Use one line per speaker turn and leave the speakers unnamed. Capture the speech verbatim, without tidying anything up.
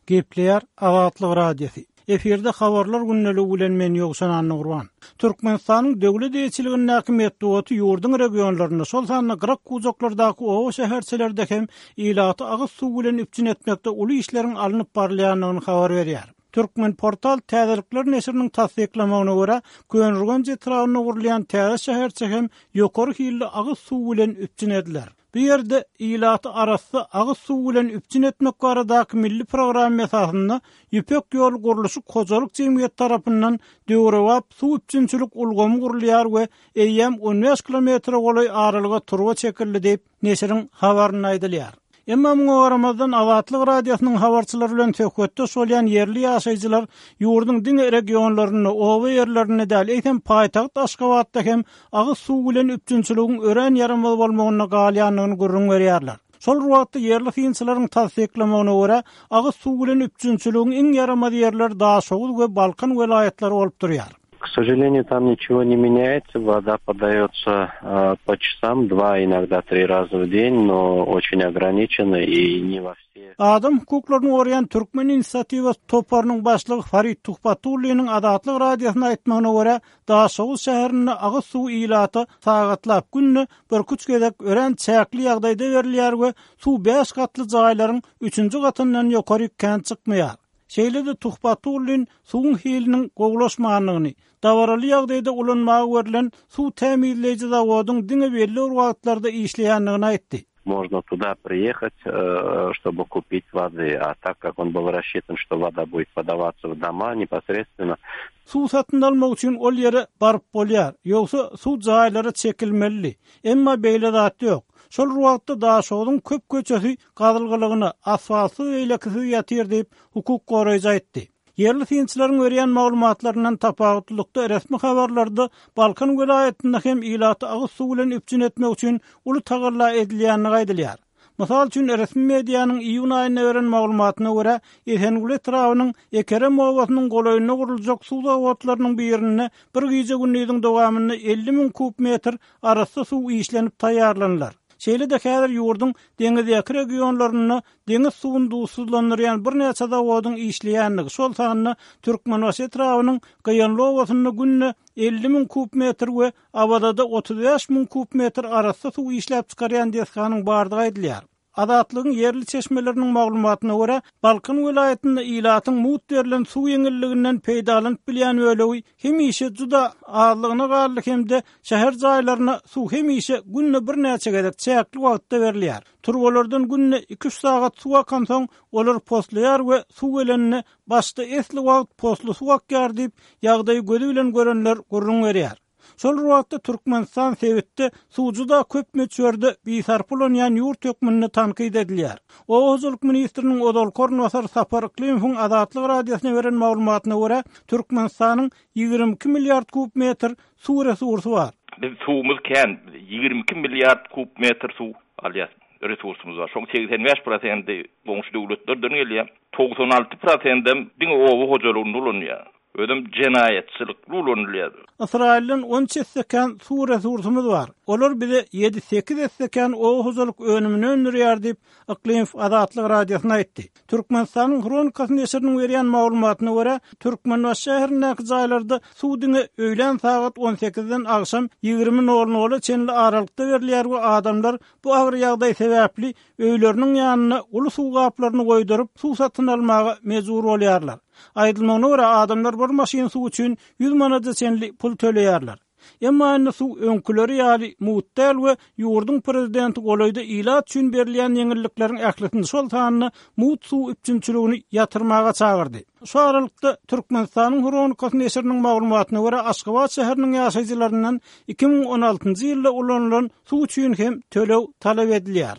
Gepleýär Azatlyk Radiosy. Efirde habarlar gündeligi bilen men Ýowşan Annagurban. Türkmenistanyň döwlet eýeçiligindäki metbugaty ýurduň regionlarynda, şol sanda gyrak pujaklardaky oba şäherçelerde hem ilaty agyz suw bilen üpjün etmekde uly işleriň alnyp barylýandygyny habar berýär. Türkmen portal täzelikler neşiriniň tassyklamagyna görä, Köneürgenç etrabynda gurulýan täze şäherçe hem ýokary hilli agyz suw bilen üpjün ediler. Bu ýerde ilaty arassa agyz suw bilen üpjün etmek baradaky milli programma esasynda Ýüpek ýol gurluşyk hojalyk jemgyýeti tarapyndan döwrebap suw üpjünçilik ulgamy gurulýar we eýýäm on bäş kilometre golaý aralyga turba çekildi diýip, neşiriň habarynda aýdylýar. Emma muňa garamazdan Azatlyk Radiosynyň habarçylary bilen söhbetdeş bolýan ýerli ýaşaýjylar ýurduň diňe regionlarynda, oba ýerlerinde däl, eýsem paýtagt Aşgabatda hem agyz suw bilen üpjünçiligiň örän ýaramaz bolmagynda galýandygyny gürrüň berýärler. Şol bir wagtda ýerli synçylaryň tassyklamagyna görä, agyz suw bilen üpjünçiligiň iň ýaramaz ýerleri Daşoguz we Balkan welaýatlary bolup durýar.
К сожалению, там ничего не меняется. Вода подается, а, по часам, два, иногда три раза в день, но очень ограниченно и не во все.
Adam hukuklaryny goraýan Türkmen inisiatiwa toparynyň başlygy Farid Tuhbatulliniň Azatlyk Radiosyna aýtmagyna görä, Daşoguz şäherinde agyz suw ilata sagatlap günde bir üç gezek örän çäkli ýagdaýda berilýär we suw bäş gatly jaýlaryň üçünji gatyndan ýokary kän çykmaýar. Şeýle-de Tuhbatullin suwuň hiliniň gowulaşmandygyny, dabaraly ýagdaýda ulanmaga berlen suw tämizleýji zawodyň diňe belli bir wagtlarda işleýändigini aýtdy.
Можно туда приехать, э, чтобы купить воды, а так как он был рассчитан, что вода будет подаваться в дома непосредственно.
Suw satyn almak üçin ol ýere baryp bolýar, ýogsa suw jaýlary çekilmeli. Emma beýle zat ýok. Şol wagtda Daşogzuň köp köçesi gazylgylygyna, asfaltsyz beýlekisiz ýatyr diýip hukuk goraýjy aýtdy. Ýerli synçylaryň berýän maglumatlaryndan tapawutlylykda resmi habarlarda Balkan welaýatynda hem ilaty agyz suw bilen üpjün etmek üçin uly tagalla edilýändigi aýdylýar. Mysal üçin resmi medianyň iýun aýynda beren maglumatyna görä, Esenguly etrabynyň Ekerem obasynyň golaýynda guruljak suw zawodlarynyň birinde bir gije gündiziň dowamynda elli müň kub metr arassa suw işlenip taýýarlanylar. Şeýle-de häzir ýurduň deňizdäki regionlarynda deňiz suwuny duzsuzlandyrýan birnäçe zawodyň işleýändigi, şol sanda Türkmenbaşy etrabynyň Gyýanly obasynda günde elli müň kub metr we Awazada otuz bäş müň kub metr arassa suw işläp çykarýan desganyň bardygy aýdylýar. Azatlygyň ýerli çeşmeleriniň maglumatyna görä, Balkan welaýatynda ilatyň mugt berlen suw ýeňilliginden peýdalanyp bilýän bölegi hemişe juda azlygyna galdy hem-de şäher jaýlaryna suw hemişe günde birnäçe gezek çäkli wagtda berilýär. Turbalardan günde iki üç sagat suw akansoň, olar poslaýar we suw gelenine başda esli wagt posly suw akýar diýip, ýagdaýy gözi bilen görenler gürrüň berýär. Şol wagtda Türkmenistan sebitde suw juda köp möçberde bisarp ulanýan ýurt hökmünde tankyt edilýär. Oba hojalyk ministriniň ozalky orunbasary Sapar Yklimowyň Azatlyk Radiosyna beren maglumatyna görä, Türkmenistanyň ýigrimi iki milliard kub metr suw resursy bar.
Biz suwumyz kän, ýigrimi iki milliard kub metr suw alýar, resursumyz bar. Şoň seksen bäş prosenti goňşy döwletlerden gelýär. Togsan alty prosendem diňe oba hojalygynda ulanylýar. Özüm jenaýatçylykly ulanylýar.
Ysraýyldan on esse kän suw resursumyz bar. Olar bize ýedi sekiz esse kän oba hojalyk önümini öndürýär diýip, Yklimow Azatlyk Radiosyna aýtdy. Türkmenistanyň Hronikasy neşiriniň berýän maglumatyna görä, Türkmenbaşy şäherindäki jaýlarda suw diňe öýlän sagat on sekizden agşam ýigrimi nol nola çenli aralykda berilýär we adamlar bu agyr ýagdaý sebäpli öýleriniň ýanyna uly suw gaplaryny goýduryp, suw satyn almaga mejbur bolýarlar. Aýdylmagyna görä, adamlar bir maşyn suw üçin ýüz manada çenli pul töleýärler. Emma indi suw öňküleri ýaly mugt däl we ýurduň prezidenti golaýda ilat üçin berilýän ýeňillikleriň ählisini şol sanda mugt suw üpjünçiligini ýatyrmaga çagyrdy. Şu aralykda Türkmenistanyň Hronikasy neşiriniň maglumatyna görä, Aşgabat şäheriniň ýaşaýjylaryndan iki müň on altynjy ýylda ulanylan suw üçin hem töleg talap edilýär.